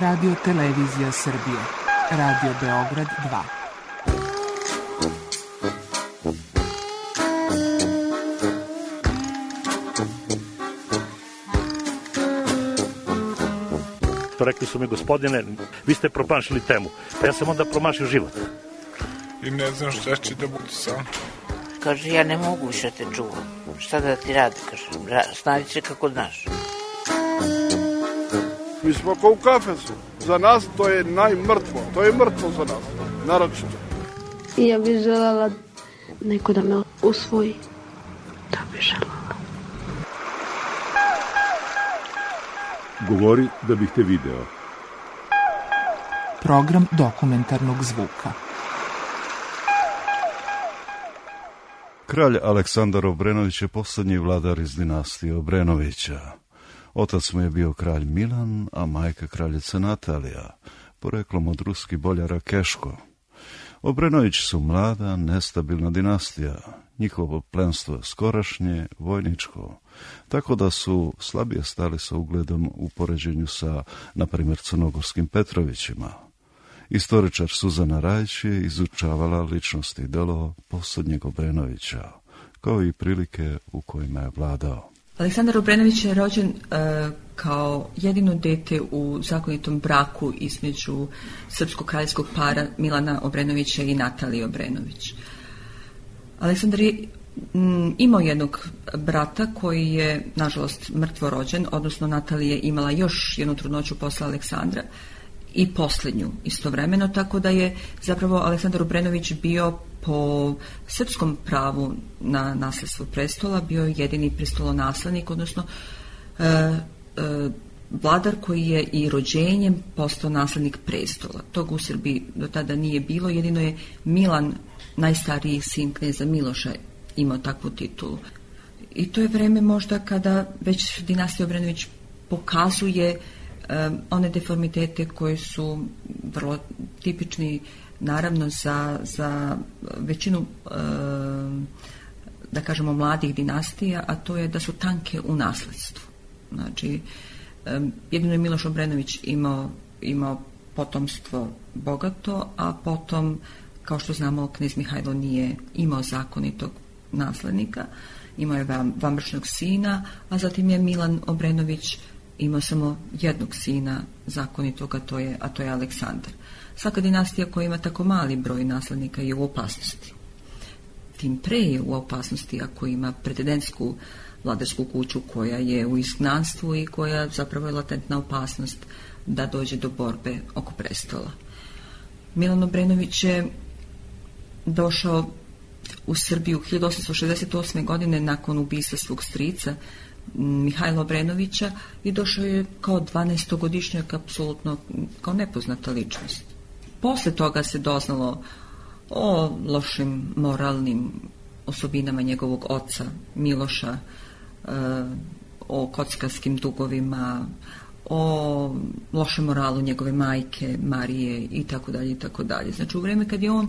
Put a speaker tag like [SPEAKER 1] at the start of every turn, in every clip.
[SPEAKER 1] Radio Televizija Srbije. Radio Beograd 2.
[SPEAKER 2] Rekli su mi, gospodine, vi ste promašili temu. Pa ja sam onda promašio život.
[SPEAKER 3] I ne znam šta će da bude sam.
[SPEAKER 4] Kaže, ja ne mogu više te čuvam. Šta da ti radi, kaže. Snađi se kako znaš.
[SPEAKER 5] Mi smo kao u kafesu. Za nas to je najmrtvo. To je mrtvo za nas. Naročito.
[SPEAKER 6] I ja bih željela neko da me usvoji. Da bih željela.
[SPEAKER 7] Govori da bih te video.
[SPEAKER 1] Program dokumentarnog zvuka.
[SPEAKER 8] Kralj Aleksandar Obrenović je posljednji vladar iz dinastije Obrenovića. Otac mu je bio kralj Milan, a majka kraljica Natalija, poreklom od ruskih boljara Keško. Obrenovići su mlada, nestabilna dinastija, njihovo plemstvo skorašnje, vojničko, tako da su slabije stali sa ugledom u poređenju sa, na primjer, crnogorskim Petrovićima. Istoričar Suzana Rajić je izučavala ličnosti i delo posljednjeg Obrenovića, kao i prilike u kojima je vladao.
[SPEAKER 9] Aleksandar Obrenović je rođen kao jedino dete u zakonitom braku između srpskog kraljevskog para Milana Obrenovića i Natalije Obrenović. Aleksandar je imao jednog brata koji je, nažalost, mrtvo rođen, odnosno Natalija je imala još jednu trudnoću posle Aleksandra i posljednju istovremeno, tako da je zapravo Aleksandar Obrenović bio po srpskom pravu na nasljedstvo prestola, bio je jedini prestolonaslednik, odnosno vladar koji je i rođenjem postao naslednik prestola. Tog u Srbiji do tada nije bilo, jedino je Milan, najstariji sin kneza Miloša, imao takvu titulu. I to je vreme možda kada već dinastija Obrenović pokazuje one deformitete koje su vrlo tipični naravno za većinu da kažemo mladih dinastija, a to je da su tanke u nasledstvu. Znači, jedino je Miloš Obrenović imao potomstvo bogato, a potom, kao što znamo, knez Mihajlo nije imao zakonitog naslednika, imao je vanbračnog sina, a zatim je Milan Obrenović imao samo jednog sina zakonitog, a to je Aleksandar. Svaka dinastija koja ima tako mali broj naslednika je u opasnosti. Tim pre je u opasnosti ako ima pretendentsku vladarsku kuću koja je u izgnanstvu i koja zapravo je latentna opasnost da dođe do borbe oko prestola. Milan Obrenović je došao u Srbiju 1868. godine nakon ubistva svog strica Mihajla Obrenovića i došao je kao 12-godišnjak, apsolutno kao nepoznata ličnost. Posle toga se doznalo o lošim moralnim osobinama njegovog oca Miloša, o kockarskim dugovima, o lošem moralu njegove majke Marije i tako dalje i tako dalje. Znači u vrijeme kad je on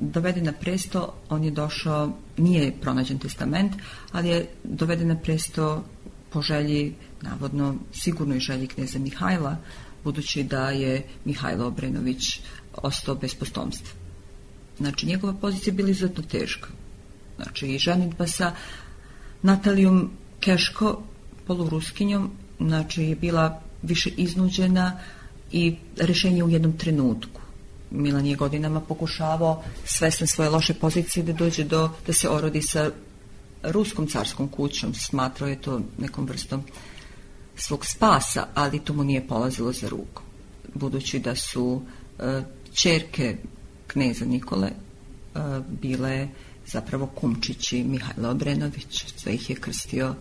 [SPEAKER 9] doveden na presto, on je došao, nije pronađen testament, ali je doveden na presto po želji, navodno sigurnoj želji kneza Mihajla, budući da je Mihajlo Obrenović ostao bez potomstva. Znači njegova pozicija je bila izuzetno teška. Znači i ženidba sa Natalijom Keško, poluruskinjom, znači je bila više iznuđena i rješenje u jednom trenutku. Milan je godinama pokušavao, svestan svoje loše pozicije, da dođe da se orodi sa ruskom carskom kućom. Smatrao je to nekom vrstom svog spasa, ali to mu nije polazilo za ruku. Budući da su ćerke kneza Nikole bile zapravo kumčići Mihajla Obrenović, sve ih je krstio,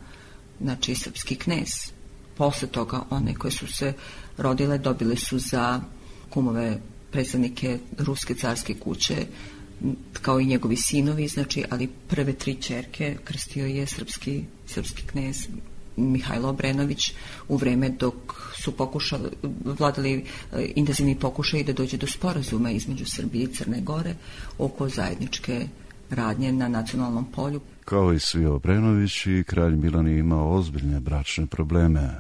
[SPEAKER 9] znači, srpski knez. Posle toga one koje su se rodile dobile su za kumove predstavnike ruske carske kuće, kao i njegovi sinovi, znači, ali prve 3 ćerke krstio je srpski knez Mihajlo Obrenović u vreme dok su vladali intenzivni pokušaji da dođe do sporazuma između Srbije i Crne Gore oko zajedničke radnje na nacionalnom polju.
[SPEAKER 8] Kao i svi Obrenovići, kralj Milan je imao ozbiljne bračne probleme.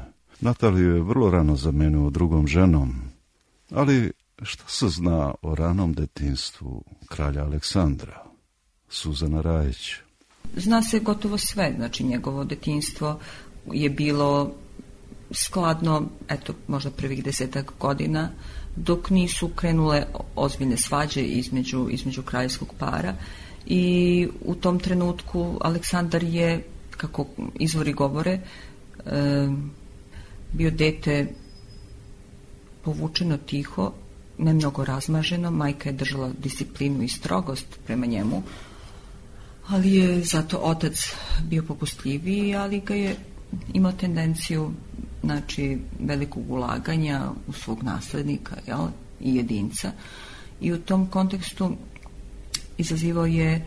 [SPEAKER 8] Nataliju je vrlo rano zamenio drugom ženom, ali šta se zna o ranom detinjstvu kralja Aleksandra? Suzana Rajić.
[SPEAKER 9] Zna se gotovo sve, znači njegovo detinjstvo je bilo skladno, eto, možda prvih 10 godina, dok nisu krenule ozbiljne svađe između kraljevskog para i u tom trenutku Aleksandar je, kako izvori govore, bio dete povučeno tiho, ne mnogo razmaženo, majka je držala disciplinu i strogost prema njemu, ali je zato otac bio popustljiviji, ali ga je imao tendenciju, znači, velikog ulaganja u svog naslednika, jel, i jedinca. I u tom kontekstu izazivao je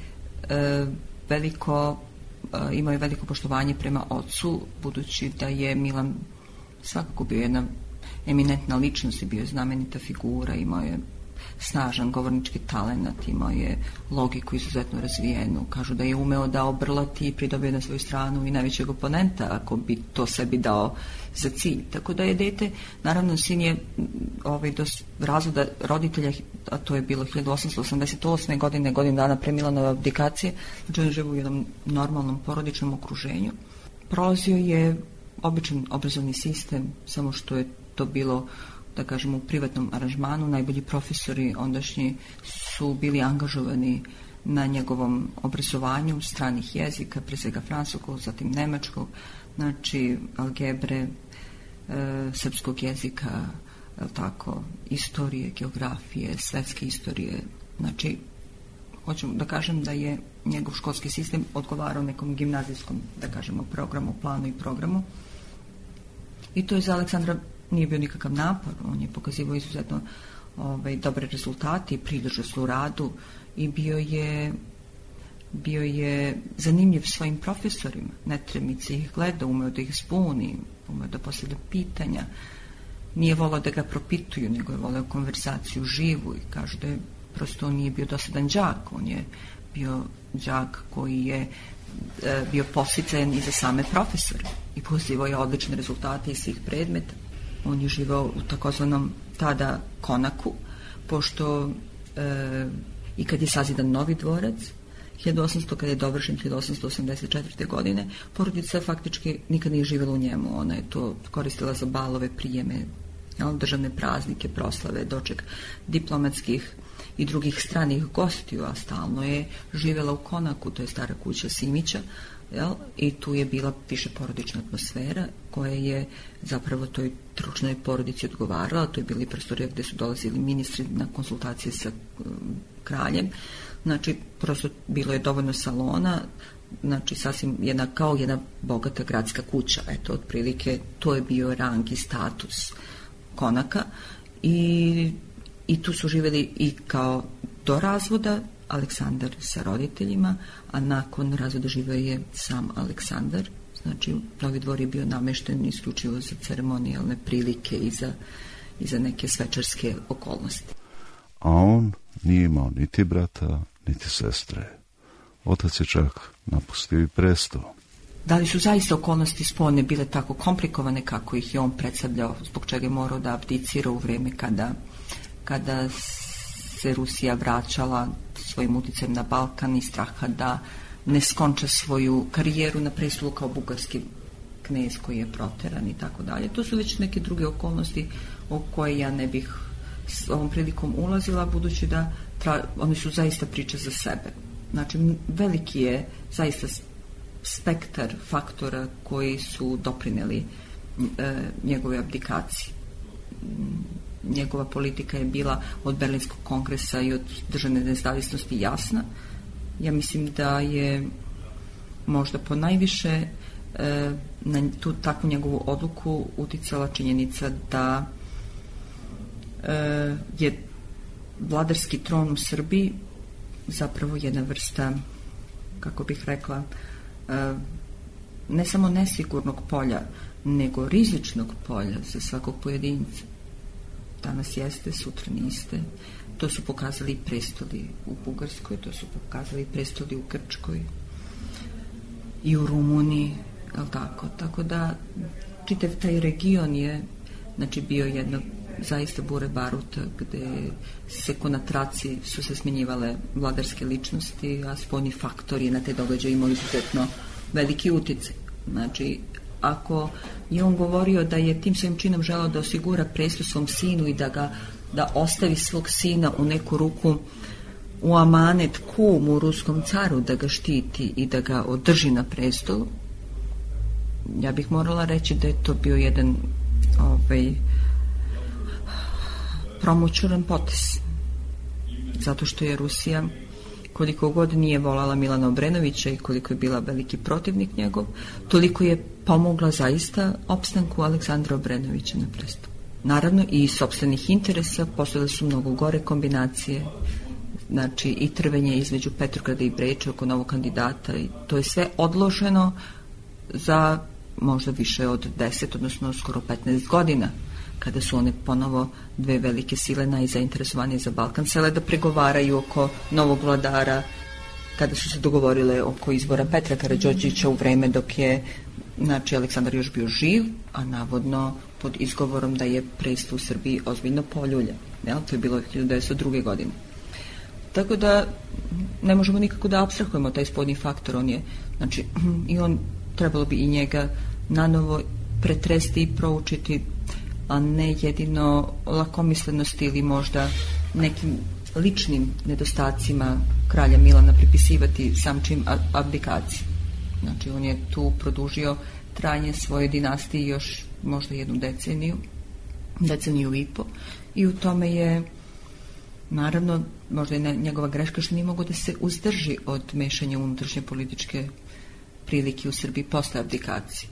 [SPEAKER 9] imao je veliko poštovanje prema ocu, budući da je Milan svakako bio jedna eminentna ličnost i bio je znamenita figura, imao je snažan govornički talenat, imao je logiku izuzetno razvijenu. Kažu da je umeo da obrlati i pridobio na svoju stranu i najvećeg oponenta, ako bi to sebi dao za cilj. Tako da je dete, naravno, sin je do razvoda roditelja, a to je bilo 1888. godine, godinu dana pre Milanove abdikacije, znači on živo u jednom normalnom porodičnom okruženju. Prolazio je običan obrazovni sistem, samo što je to bilo, da kažemo, u privatnom aranžmanu. Najbolji profesori ondašnji su bili angažovani na njegovom obrazovanju stranih jezika, pre svega francuskog, zatim nemačkog, znači algebre, srpskog jezika, tako, istorije, geografije, svetske istorije. Znači, hoću da kažem da je njegov školski sistem odgovarao nekom gimnazijskom, da kažemo, programu, planu i programu. I to je za Aleksandra nije bio nikakav napor, on je pokazivao izuzetno dobre rezultate i pridržao u radu i bio je zanimljiv svojim profesorima, netremice ih gleda, umeo da ih zbuni, umeo da postavlja pitanja, nije volao da ga propituju, nego je voleo konverzaciju živu i kažu da je prosto on nije bio dosadan đak, on je bio đak koji je bio podsticajan i za same profesore i postigao je odlične rezultate iz svih predmeta. On je živao u takozvanom tada konaku, pošto i kad je sazidan novi dvorac, 1800, kad je dovršen 1884. godine, porodica faktički nikad nije živjela u njemu. Ona je to koristila za balove, prijeme, državne praznike, proslave, doček diplomatskih i drugih stranih gostiju, a stalno je živjela u konaku, to je stara kuća Simića, i tu je bila više porodična atmosfera koja je zapravo toj tručnoj porodici odgovarala. To je bili prostorija gde su dolazili ministri na konsultacije sa kraljem. Znači, prosto bilo je dovoljno salona, znači sasvim kao jedna bogata gradska kuća. Eto, otprilike, to je bio rang i status konaka i tu su živjeli i kao do razvoda Aleksandar sa roditeljima, a nakon razvoda živio je sam Aleksandar. Znači, Novi dvor je bio namešten isključivo za ceremonijalne prilike i za neke svečarske okolnosti.
[SPEAKER 8] A on nije imao niti brata, niti sestre. Otac je čak napustio i presto.
[SPEAKER 9] Da li su zaista okolnosti spoljne bile tako komplikovane kako ih je on predstavljao, zbog čega je morao da abdicira u vreme kada se Rusija vraćala svojim uticajem na Balkan i straha da ne skonča svoju karijeru na prestolu kao bugarski knez koji je proteran i tako dalje. To su već neke druge okolnosti o koje ja ne bih s ovom prilikom ulazila, budući da oni su zaista priče za sebe. Znači, veliki je zaista spektar faktora koji su doprineli njegove abdikaciji. Njegova politika je bila od Berlinskog kongresa i od državne nezavisnosti jasna. Ja mislim da je možda po najviše na tu takvu njegovu odluku uticala činjenica da je vladarski tron u Srbiji zapravo jedna vrsta, kako bih rekla, ne samo nesigurnog polja, nego rizičnog polja za svakog pojedinca. Danas jeste, sutra niste. To su pokazali i prestoli u Bugarskoj, to su pokazali i prestoli u Grčkoj i u Rumuniji, tako da čitav taj region je znači bio jedno zaista bure baruta gde se ko na traci su se smenjivale vladarske ličnosti, a spoljni faktori na te događaje imali izuzetno veliki uticaj. Znači, ako je on govorio da je tim svojim činom želeo da osigura presto svom sinu i da ostavi svog sina u neku ruku u amanet kumu ruskom caru, da ga štiti i da ga održi na prestolu, ja bih morala reći da je to bio jedan promoćuran potez. Zato što je Rusija, koliko god nije volala Milana Obrenovića i koliko je bila veliki protivnik njegov, toliko je pomogla zaista opstanku Aleksandra Obrenovića na prestolu. Naravno i iz sopstvenih interesa postojale su mnogo gore kombinacije, znači i trvenje između Petrograda i Beča oko novog kandidata, i to je sve odloženo za možda više od 10, odnosno skoro 15 godina, kada su one ponovo dve velike sile najzainteresovanije za Balkan sele da pregovaraju oko novog vladara, kada su se dogovorile oko izbora Petra Karađorđevića u vreme dok je znači Aleksandar još bio živ, a navodno pod izgovorom da je presto u Srbiji ozbiljno poljulja. To je bilo 1902. godine. Tako da ne možemo nikako da apstrahujemo taj spoljni faktor. On je, znači, i on trebalo bi i njega nanovo pretresti i proučiti, a ne jedino lakomislenosti ili možda nekim ličnim nedostacima kralja Milana pripisivati sam čin abdikacije. Znači, on je tu produžio trajanje svoje dinastije još možda jednu deceniju i po, i u tome je naravno možda je njegova greška što nije mogo da se uzdrži od mešanja unutrašnje političke prilike u Srbiji posle abdikacije.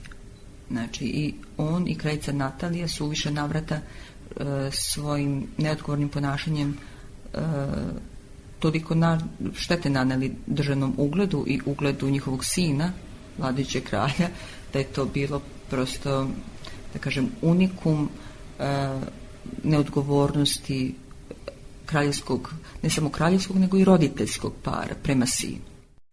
[SPEAKER 9] Znači, i on i kraljica Natalija su u više navrata svojim neodgovornim ponašanjem toliko štete naneli državnom ugledu i ugledu njihovog sina, vladajućeg kralja, da je to bilo prosto, da kažem, unikum neodgovornosti kraljevskog, ne samo kraljevskog, nego i roditeljskog para prema sinu.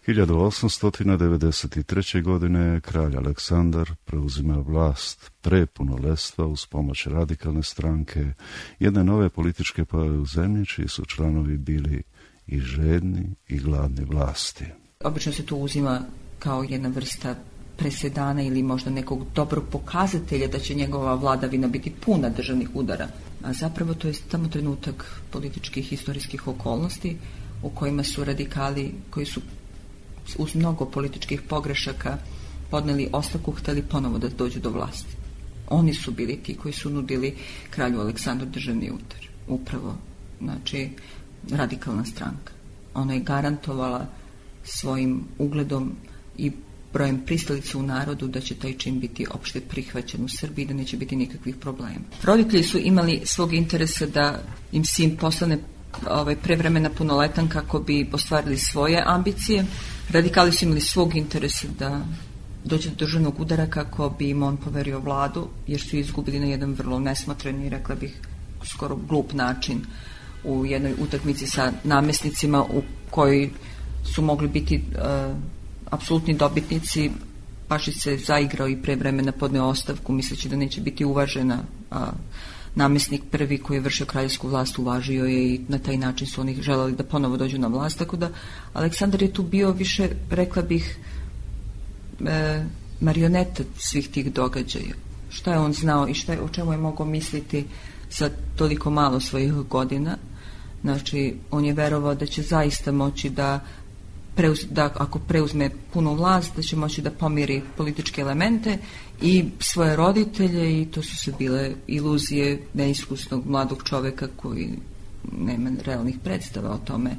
[SPEAKER 8] 1893. godine kralj Aleksandar preuzima vlast pre punoletstva uz pomoć radikalne stranke, jedne nove političke pojave u zemlji, čiji su članovi bili i žedni i gladni vlasti.
[SPEAKER 9] Obično se to uzima kao jedna vrsta presedana ili možda nekog dobrog pokazatelja da će njegova vladavina biti puna državnih udara. A zapravo to je samo trenutak političkih historijskih okolnosti u kojima su radikali, koji su uz mnogo političkih pogrešaka podneli ostavku, hteli ponovo da dođu do vlasti. Oni su bili ti koji su nudili kralju Aleksandru državni udar. Upravo, znači, radikalna stranka. Ona je garantovala svojim ugledom i brojem pristalica u narodu da će taj čin biti opšte prihvaćen u Srbiji, da neće biti nikakvih problema. Roditelji su imali svog interesa da im sin postane prevremena punoletan kako bi ostvarili svoje ambicije. Radikali su imali svog interesa da dođe do državnog udara kako bi im on poverio vladu, jer su izgubili na jedan vrlo nesmotren i, rekla bih, skoro glup način u jednoj utakmici sa namesnicima u kojoj su mogli biti apsolutni dobitnici. Pašić se zaigrao i pre vremena podneo ostavku misleći da neće biti uvažena, a namesnik prvi koji je vršio kraljevsku vlast uvažio je i na taj način su oni želeli da ponovo dođu na vlast, tako da Aleksandar je tu bio više, rekla bih, marioneta svih tih događaja. Šta je on znao i o čemu je mogao misliti sa toliko malo svojih godina? Znači, on je verovao da će zaista moći da ako preuzme punu vlast, da će moći da pomiri političke elemente i svoje roditelje, i to su se bile iluzije neiskusnog mladog čoveka koji nema realnih predstava o tome.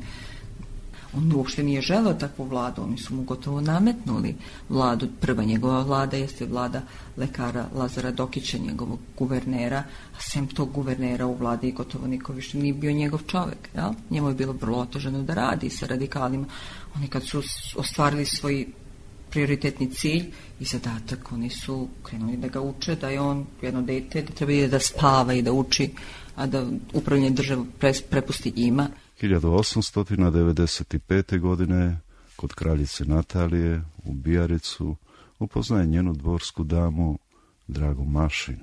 [SPEAKER 9] On uopšte nije želeo takvu vladu, oni su mu gotovo nametnuli vladu. Prva njegova vlada jeste vlada lekara Lazara Dokića, njegovog guvernera, a sem tog guvernera u vladi gotovo niko više nije bio njegov čovek. Ja? Njemu je bilo vrlo otežano da radi sa radikalima. Oni kad su ostvarili svoj prioritetni cilj i zadatak, oni su krenuli da ga uče, da je on jedno dete, da treba da spava i da uči, a da upravljanje državu prepusti njima.
[SPEAKER 8] 1895. godine kod kraljice Natalije u Bijaricu upoznaje njenu dvorsku damu Dragu Mašin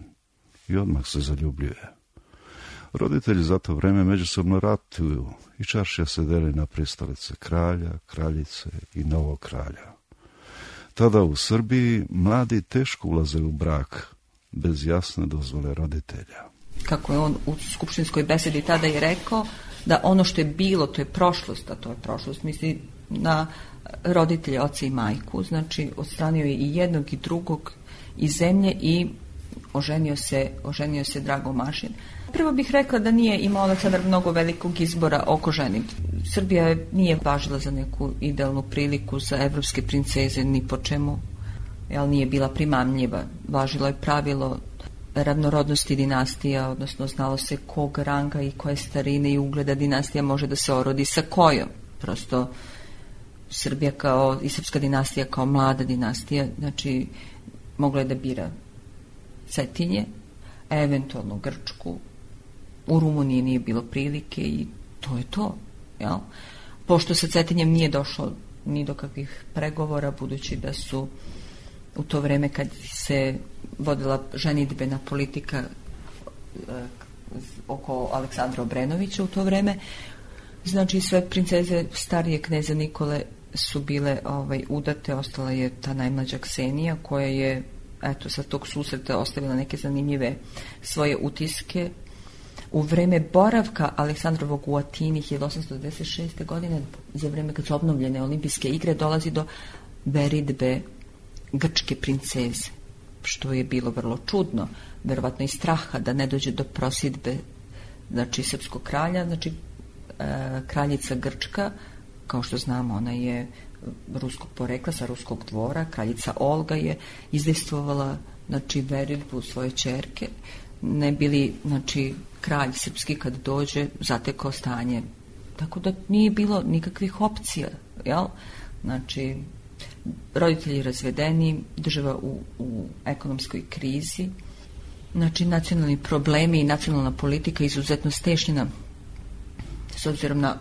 [SPEAKER 8] i odmah se zaljubljuje. Roditelji za to vreme međusobno ratuju i čaršija se deli na pristalice kralja, kraljice i novog kralja. Tada u Srbiji mladi teško ulaze u brak bez jasne dozvole roditelja.
[SPEAKER 9] Kako je on u skupštinskoj besedi tada i rekao, da ono što je bilo, to je prošlost, a to je prošlost, misli na roditelje, oca i majku, znači odstranio je i jednog i drugog iz zemlje i oženio se Drago Mašin. Prvo bih rekla da nije imao Aleksandar mnogo velikog izbora oko ženi. Srbija nije važila za neku idealnu priliku za evropske princeze ni po čemu, ali nije bila primamljiva. Važilo je pravilo ravnorodnosti dinastija, odnosno znalo se kog ranga i koje starine i ugleda dinastija može da se orodi sa kojom. Prosto Srbija kao i srpska dinastija kao mlada dinastija, znači mogla je da bira Cetinje, eventualno Grčku, u Rumuniji nije bilo prilike i to je to. Jel? Pošto sa Cetinjem nije došlo ni do kakvih pregovora, budući da su u to vreme kad se vodila ženidbena politika oko Aleksandra Obrenovića u to vreme, znači sve princeze starije kneza Nikole su bile udate, ostala je ta najmlađa Ksenija koja je sa tog susreta ostavila neke zanimljive svoje utiske. U vreme boravka Aleksandrovog u Atini 1896. godine, za vreme kad su obnovljene olimpijske igre, dolazi do veridbe grčke princeze, što je bilo vrlo čudno, verovatno i straha da ne dođe do prosidbe, znači srpskog kralja, znači kraljica Grčka, kao što znamo, ona je ruskog porekla, sa ruskog dvora, kraljica Olga je izdejstvovala, znači, veridbu svoje ćerke, ne bili, znači, kralj srpski kad dođe zatekao stanje, tako da nije bilo nikakvih opcija, jel? Znači, roditelji razvedeni, država u ekonomskoj krizi, znači nacionalni problemi i nacionalna politika izuzetno stešnjena s obzirom na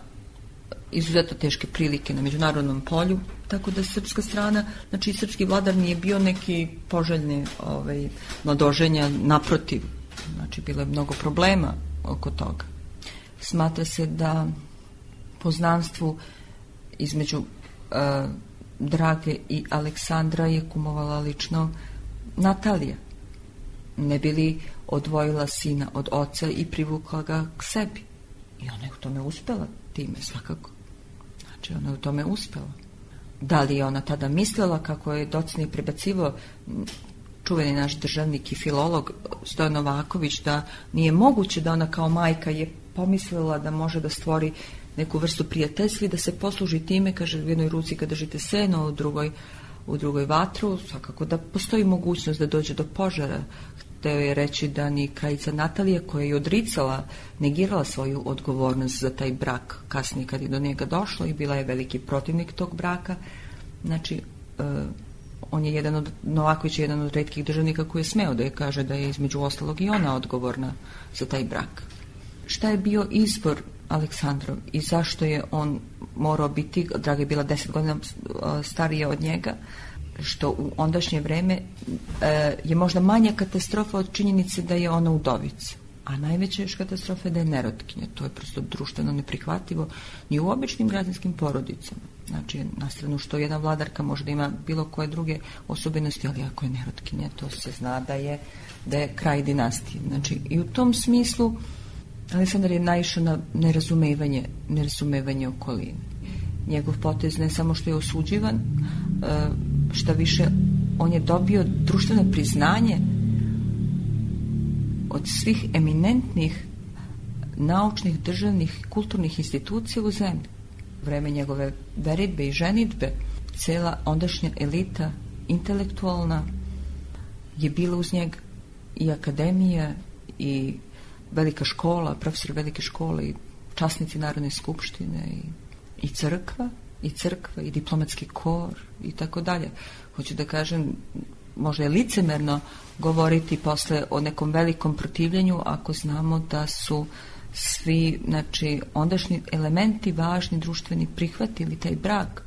[SPEAKER 9] izuzetno teške prilike na međunarodnom polju, tako da srpska strana, znači srpski vladar nije bio neki poželjni mladoženja, naprotiv, znači bilo je mnogo problema oko toga. Smatra se da poznanstvu između Drage i Aleksandra je kumovala lično Natalija, ne bi li odvojila sina od oca i privukla ga k sebi. I ona je u tome uspela time, svakako. Znači, ona je u tome uspela. Da li je ona tada mislila, kako je docnije prebacivao čuveni naš državnik i filolog Stojan Novaković, da nije moguće da ona kao majka je pomislila da može da stvori neku vrstu prijateljstva i da se posluži time, kaže, u jednoj ruci kad držite seno, u drugoj vatru, svakako da postoji mogućnost da dođe do požara. Hteo je reći da ni kraljica Natalija, koja je odricala, negirala svoju odgovornost za taj brak kasnije kad je do njega došlo i bila je veliki protivnik tog braka. Znači, on je Novaković je jedan od retkih državnika koji je smeo da je kaže da je između ostalog i ona odgovorna za taj brak. Šta je bio izbor Aleksandrov i zašto je on morao biti, Draga je bila 10 godina starija od njega, što u ondašnje vreme je možda manja katastrofa od činjenice da je ona udovica, a najveća još katastrofa je da je nerotkinja. To je prosto društveno neprihvatljivo ni u običnim građanskim porodicama. Znači, na stranu što jedna vladarka može da ima bilo koje druge osobenosti, ali ako je nerotkinja, to se zna da je kraj dinastije. Znači, i u tom smislu Aleksandar je naišao na nerazumevanje okoline. Njegov potez ne samo što je osuđivan, šta više, on je dobio društveno priznanje od svih eminentnih naučnih, državnih, kulturnih institucija u zemlji. Vreme njegove veridbe i ženidbe, cela ondašnja elita intelektualna je bila uz njega, i akademija i velika škola, profesor velike škole i časnici Narodne skupštine i crkva i diplomatski kor i tako dalje. Hoću da kažem, možda je licemerno govoriti posle o nekom velikom protivljenju ako znamo da su svi, znači, ondašnji elementi važni društveni prihvatili taj brak.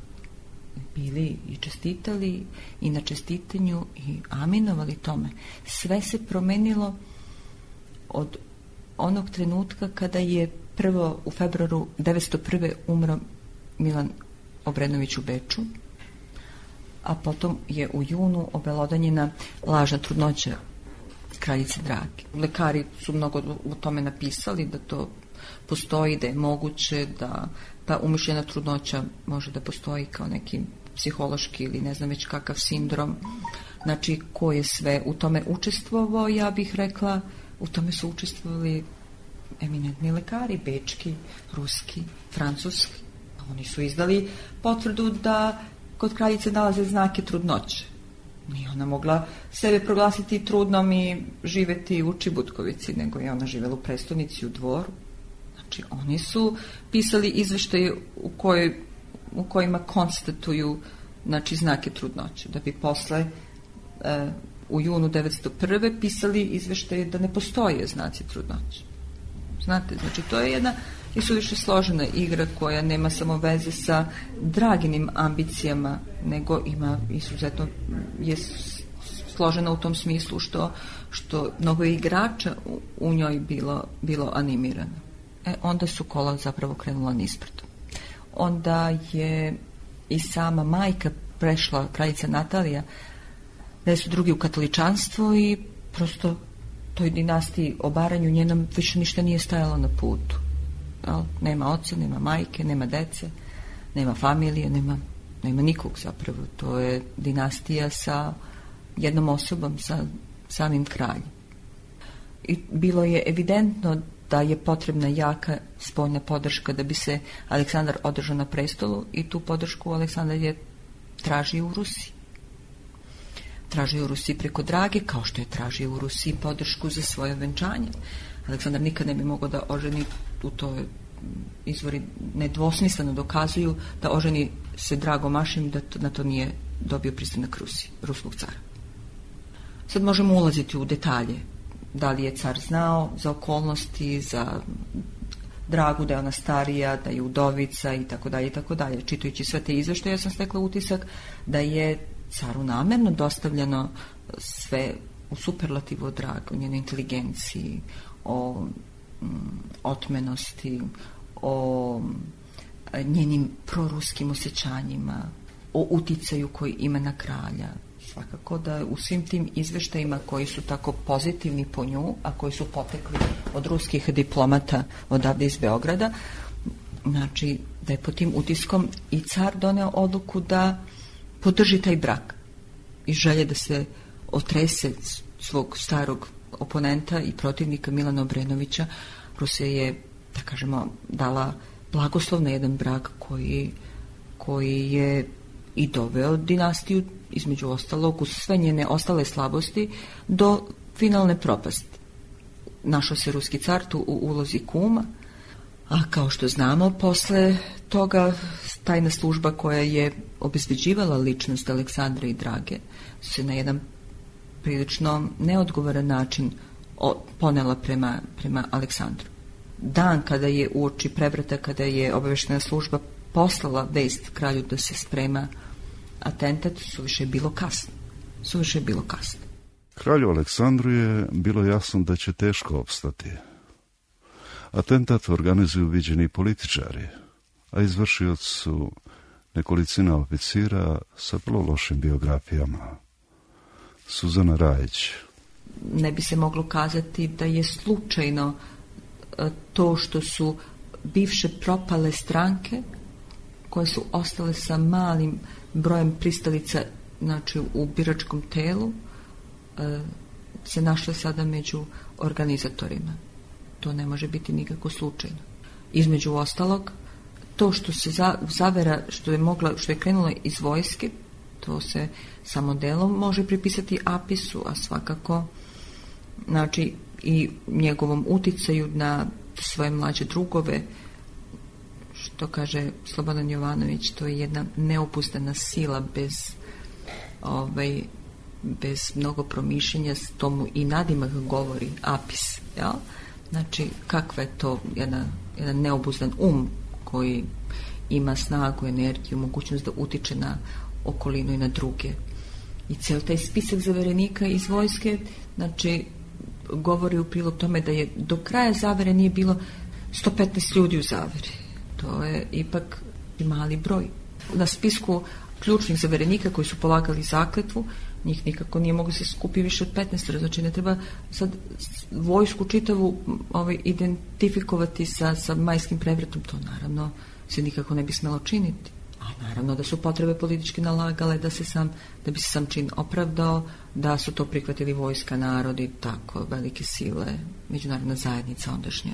[SPEAKER 9] bili i čestitali i na čestitanju i aminovali tome. Sve se promenilo od onog trenutka kada je prvo u februaru 1901. umro Milan Obrenović u Beču, a potom je u junu obelodanjena lažna trudnoća kraljice Drage. Lekari su mnogo o tome napisali, da to postoji, da je moguće, da ta umišljena trudnoća može da postoji kao neki psihološki ili ne znam već kakav sindrom. Znači, ko je sve u tome učestvovao, ja bih rekla, u tome su učestvovali eminentni lekari, bečki, ruski, francuski. Oni su izdali potvrdu da kod kraljice nalaze znake trudnoće. Nije ona mogla sebe proglasiti trudnom i živeti u Čibutkovici, nego je ona živela u prestonici, u Dvoru. Znači, oni su pisali izveštaje u kojima konstatuju, znači, znake trudnoće, da bi posle u junu 1901. pisali izveštaje da ne postoje znaci trudnoće. Znate, znači, to je jedna isuviše složena igra koja nema samo veze sa Draginim ambicijama, nego ima izuzetno, je složena u tom smislu što mnogo igrača u njoj bilo animirano. Onda su kola zapravo krenula nizbrdo. Onda je i sama majka prešla, kraljica Natalija, da su drugi u katoličanstvo i prosto toj dinastiji, obaranju njenom više ništa nije stajalo na putu. Nema oca, nema majke, nema dece, nema familije, nema nikog zapravo. To je dinastija sa jednom osobom, sa samim kraljem. I bilo je evidentno da je potrebna jaka spoljna podrška da bi se Aleksandar održao na prestolu, i tu podršku Aleksandar je tražio u Rusiji. Tražio u Rusiji preko Drage, kao što je tražio u Rusiji podršku za svoje venčanje. Aleksandar nikad ne bi mogao da oženi, u to izvori nedvosmisleno dokazuju, da oženi se Dragom Mašim, da na to nije dobio pristanak ruskog cara. Sad možemo ulaziti u detalje. Da li je car znao za okolnosti, za Dragu, da je ona starija, da je udovica i tako dalje i tako dalje. Čitajući sve te izveštaje, ja sam stekla utisak da je caru namerno dostavljeno sve u superlativu o Dragu, o njenoj inteligenciji, o otmenosti, o njenim proruskim osjećanjima, o uticaju koji ima na kralja. Svakako da u svim tim izveštajima koji su tako pozitivni po nju, a koji su potekli od ruskih diplomata odavde iz Beograda, znači da je pod tim utiskom i car doneo odluku da podrži taj brak i želje da se otrese svog starog oponenta i protivnika Milana Obrenovića. Rusija je, da kažemo, dala blagoslov na jedan brak koji je i doveo dinastiju, između ostalog, uz sve njene ostale slabosti, do finalne propasti. Našao se ruski car tu u ulozi kuma, a kao što znamo, posle toga tajna služba koja je obezbeđivala ličnost Aleksandra i Drage se na jedan prilično neodgovoran način ponela prema Aleksandru. Dan kada je uoči prevrata, kada je obaveštena služba poslala vest kralju da se sprema atentat, suviše je bilo kasno.
[SPEAKER 8] Kralju Aleksandru je bilo jasno da će teško opstati. Atentat organizuju viđeni političari, a izvršioci su nekolicina oficira sa vrlo lošim biografijama. Suzana Rajić.
[SPEAKER 9] Ne bi se moglo kazati da je slučajno to što su bivše propale stranke koje su ostale sa malim brojem pristalica, znači u biračkom telu, se našle sada među organizatorima. To ne može biti nikako slučajno. Između ostalog, to što se zavera, što je krenulo iz vojske, to se samo delom može pripisati Apisu, a svakako, znači, i njegovom uticaju na svoje mlađe drugove. Što kaže Slobodan Jovanović, to je jedna neopuzdana sila bez mnogo promišljenja, tomu i nadimak govori Apis, Znači, kakva je to jedan neobuzdan koji ima snagu, energiju, mogućnost da utiče na okolinu i na druge. I ceo taj spisak zaverenika iz vojske, znači, govori u prilog tome da je do kraja zavere nije bilo 115 ljudi u zaveri. To je ipak mali broj. Na spisku ključnih zaverenika koji su polagali zakletvu, njih nikako nije moglo se skupi više od 15, znači ne treba sad vojsku čitavu identifikovati sa majskim prevratom, to naravno se nikako ne bi smelo činiti. A naravno da su potrebe politički nalagale da bi se sam čin opravdao, da su to prihvatili vojska, narodi, tako, velike sile, međunarodna zajednica ondašnje,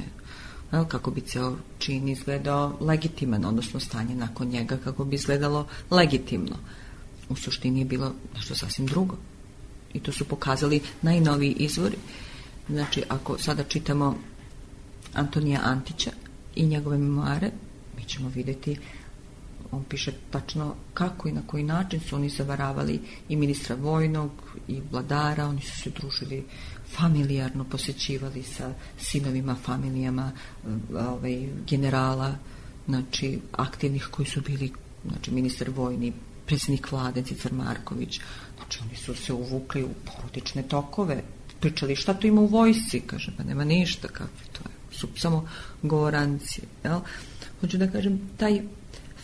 [SPEAKER 9] kako bi ceo čin izgledao legitiman, odnosno stanje nakon njega kako bi izgledalo legitimno. U suštini je bilo nešto sasvim drugo. I to su pokazali najnoviji izvori. Znači, ako sada čitamo Antonija Antića i njegove memoare, mi ćemo vidjeti, on piše tačno kako i na koji način su oni zavaravali i ministra vojnog i vladara, oni su se družili familijarno, posjećivali sa sinovima, familijama generala, znači aktivnih koji su bili, znači ministar vojni, predsjednik vlade Cicar Marković, znači oni su se uvukli u porodične tokove, pričali šta to ima u vojsci, kaže, pa nema ništa, kakve to je, su samo govorancije, jel? Hoću da kažem, taj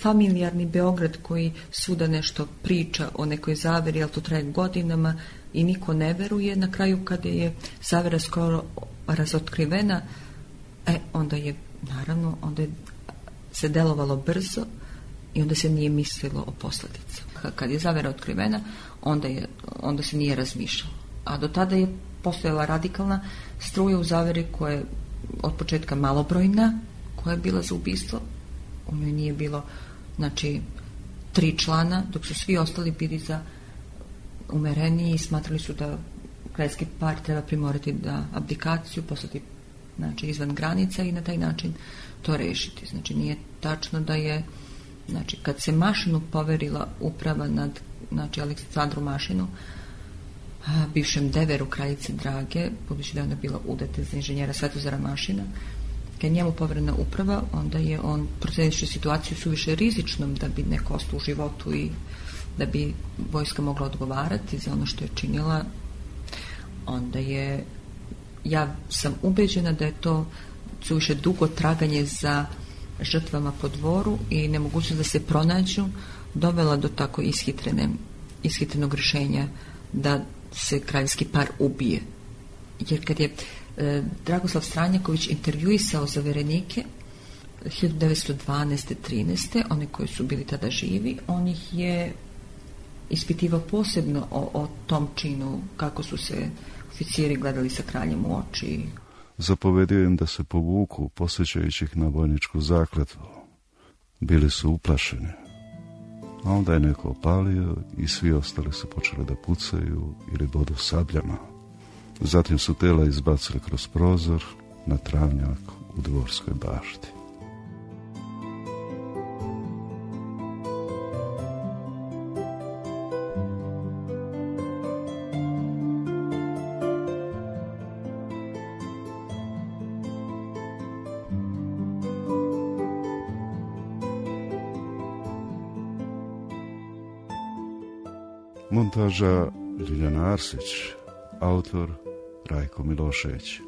[SPEAKER 9] familijarni Beograd koji svuda nešto priča o nekoj zaveri, ali to traje godinama i niko ne veruje, na kraju kada je zavera skoro razotkrivena, onda je, naravno, onda je se delovalo brzo i onda se nije mislilo o posljedicama. Kad je zavera otkrivena, onda se nije razmišljalo. A do tada je postojala radikalna struja u zaveri koja je od početka malobrojna, koja je bila za ubistvo. U njoj nije bilo, znači, 3 člana, dok su svi ostali bili za umereniji i smatrali su da kraljevski par treba primorati da abdikaciju, poslati, znači, izvan granica i na taj način to rešiti. Znači, nije tačno da je, znači, kad se Mašinu poverila uprava nad, znači, Aleksandru Mašinu, bivšem deveru kraljice Drage, budući da je ona bila udata za inženjera Svetozara Mašina, kad je njemu poverena uprava, onda je on, procenivši situaciju suviše rizičnom da bi neko ostao u životu i da bi vojska mogla odgovarati za ono što je činila, onda je, ja sam ubeđena da je to suviše dugo traganje za žrtvama po dvoru i nemogućnost da se pronađu dovela do tako ishitrenog rješenja da se kraljevski par ubije. Jer kad je Dragoslav Stranjaković intervjuisao zaverenike 1912-13, one koji su bili tada živi, on ih je ispitivao posebno o tom činu, kako su se oficiri gledali sa kraljem u oči.
[SPEAKER 8] Zapovedio im da se povuku, posjećajući ih na vojničku zakletvu. Bili su uplašeni. A onda je neko opalio i svi ostali su počeli da pucaju ili bodu sabljama. Zatim su tela izbacili kroz prozor na travnjak u Dvorskoj bašti. Montaža Ljiljana Arsić, autor Rajko Milošević.